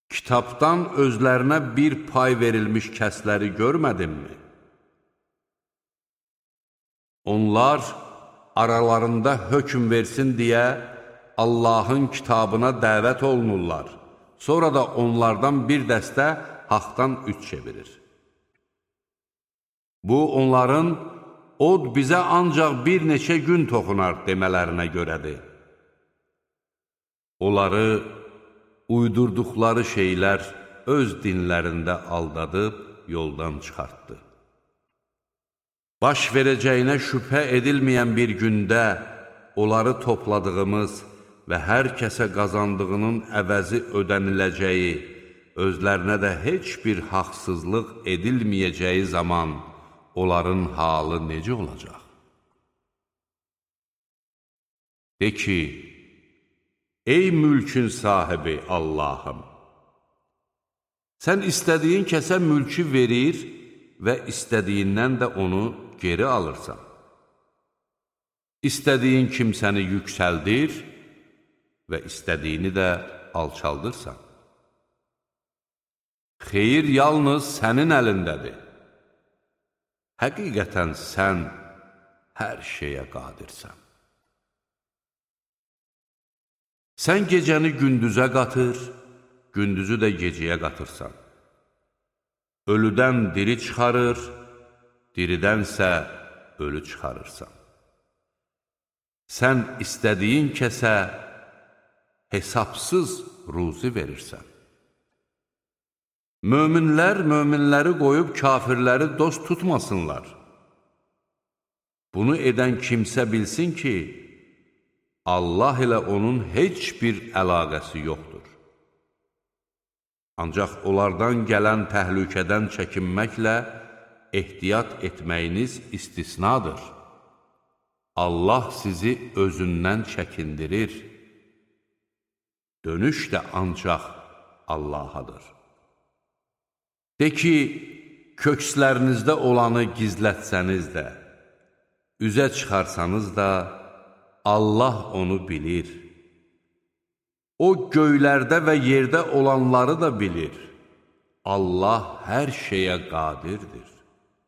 kitabdan özlərinə bir pay verilmiş kəsləri görmədinmi? Onlar aralarında hökm versin deyə Allahın kitabına dəvət olunurlar. Sonra da onlardan bir dəstə haqdan üç çevirir. Bu, onların od bizə ancaq bir neçə gün toxunar demələrinə görədir. Onları uydurduqları şeylər öz dinlərində aldadıb yoldan çıxartdı. Baş verəcəyinə şübhə edilməyən bir gündə onları topladığımız və hər kəsə qazandığının əvəzi ödəniləcəyi, özlərinə də heç bir haqsızlıq edilməyəcəyi zaman onların halı necə olacaq? De ki, ey mülkün sahibi Allahım! Sən istədiyin kəsə mülkü verir və istədiyindən də onu geri alırsan. İstədiyin kimsəni yüksəldir və istədiyini də alçaldırsan. Xeyir yalnız sənin əlindədir. Həqiqətən sən hər şeyə qadirsən. Sən gecəni gündüzə qatır, gündüzü də gecəyə qatırsan. Ölüdən diri çıxarır, diridənsə ölü çıxarırsan. Sən istədiyin kəsə hesabsız ruzi verirsən. Möminlər möminləri qoyub kafirləri dost tutmasınlar. Bunu edən kimsə bilsin ki, Allah ilə onun heç bir əlaqəsi yoxdur. Ancaq onlardan gələn təhlükədən çəkinməklə ehtiyat etməyiniz istisnadır. Allah sizi özündən çəkindirir. Dönüş də ancaq Allahadır. De ki, kökslərinizdə olanı gizlətsəniz də, üzə çıxarsanız da, Allah onu bilir. O, göylərdə və yerdə olanları da bilir. Allah hər şeyə qadirdir.